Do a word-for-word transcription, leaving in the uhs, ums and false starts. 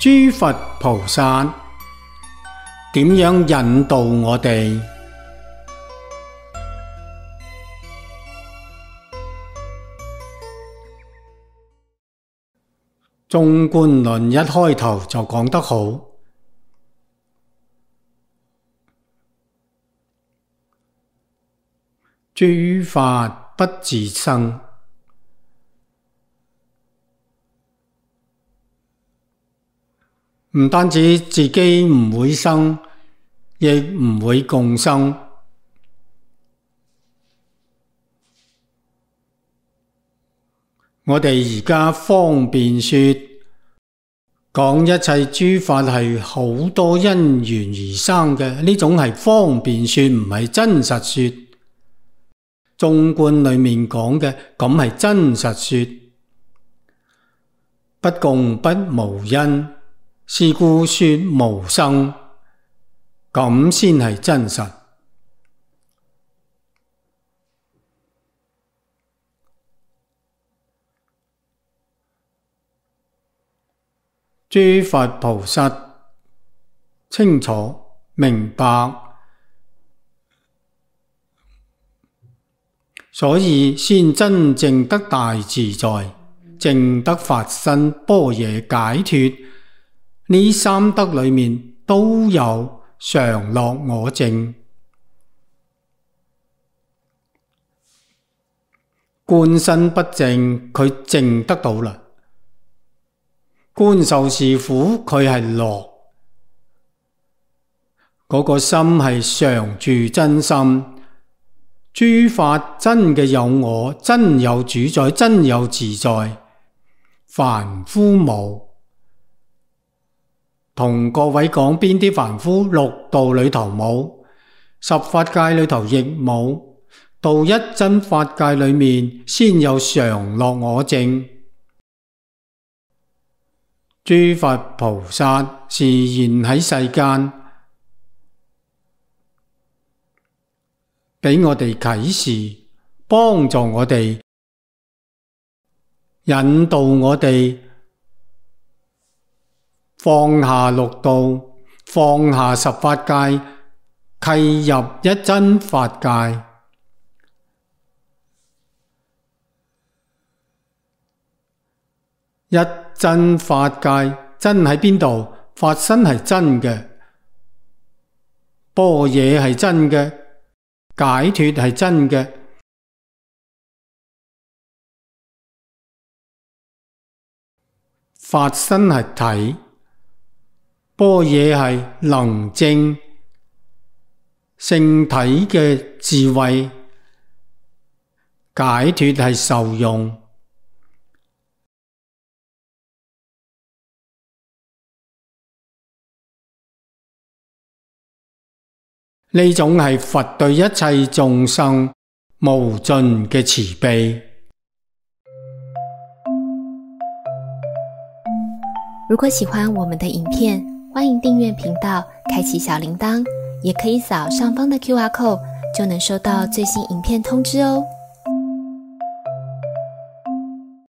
諸佛菩薩點樣引導我哋？縱觀論一開頭就講得好，諸法不自生，唔單止自己唔會生，亦唔會共生。我哋而家方便說，講一切諸法係好多因緣而生嘅，呢種係方便說，唔係真實說。縱觀裏面講嘅，咁係真實說。不共不無因，是故說無生，咁先係真實。諸佛菩薩清楚明白，所以先真正得大自在，證得法身般若解脫。呢三德裏面都有常樂我淨。觀身不淨，佢淨得到啦。觀受是苦，佢係樂。嗰個心係常住真心。諸法真嘅有我，真有主宰，真有自在。凡夫無。同各位講邊啲凡夫？六道裏頭冇，十法界裏頭亦冇，到一真法界裏面先有常樂我淨。諸佛菩薩示現喺世間，俾我哋啟示，幫助我哋，引導我哋放下六道，放下十法界，契入一真法界。一真法界，真喺邊度？法身係真嘅，般若係真嘅，解脫係真嘅。法身係體，般若係能證，聖體嘅智慧，解脫係受用。呢種係佛對一切眾生無盡嘅慈悲。如果喜歡我們的影片，歡迎訂閱頻道，開啟小鈴鐺，也可以掃上方的 Q R code，就能收到最新影片通知哦。